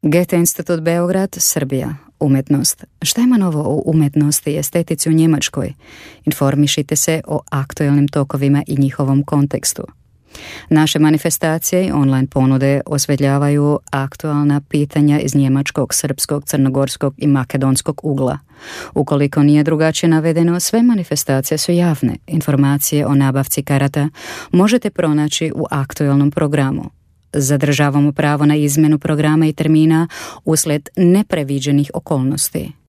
Goethe Institut Beograd, Srbija. Umetnost. Šta ima novo o umetnosti i estetici u Njemačkoj? Informišite se o aktualnim tokovima i njihovom kontekstu. Naše manifestacije i online ponude osvetljavaju aktualna pitanja iz njemačkog, srpskog, crnogorskog i makedonskog ugla. Ukoliko nije drugačije navedeno, sve manifestacije su javne. Informacije o nabavci karata možete pronaći u aktualnom programu. Zadržavamo pravo na izmjenu programa i termina uslijed nepreviđenih okolnosti.